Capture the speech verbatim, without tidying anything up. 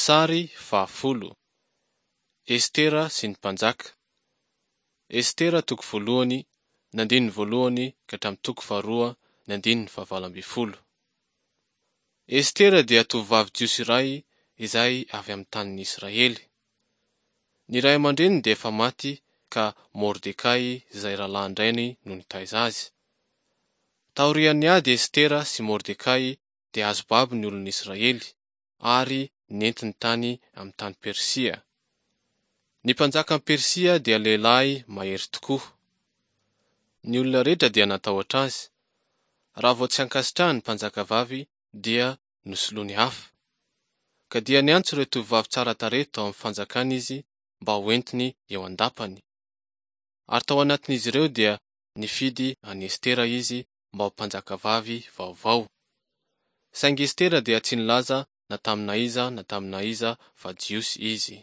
Sary fahafolo. Estera sy ny mpanjaka. Estera toko voalohany, ny andininy voalohany ka hatramin'ny toko faharoa, ny andininy fahavalo ambin'ny folo. Estera dia tovovavy jiosy iray izay avy amin'ny tanin'i Israely. Ny ray aman-dreniny dia efa maty ka Mordekay izay rahalahin-drainy no nitaiza azy. Taorian'ny ady Estera sy Mordekay dia azo babo ny olon'Israely ary nentiny tany amin'ny tany Persia. Ny mpanjakan'i Persia dia lehilahy mahery tokoa. Ny olona rehetra dia natahotra azy. Raha vao tsy ankasitrahan'ny mpanjakavavy dia nosoloiny hafa. Ka dia niantso ireo tovovavy tsara tarehy tao amin'ny fanjakany izy mba hoentiny eo an-dapany. Ary tao anatin'izy ireo dia nifidy an'i Estera izy mba ho mpanjakavavy vaovao. Saingy Estera dia tsy nilaza na tamina iza na tamina iza fa Jiosy izy.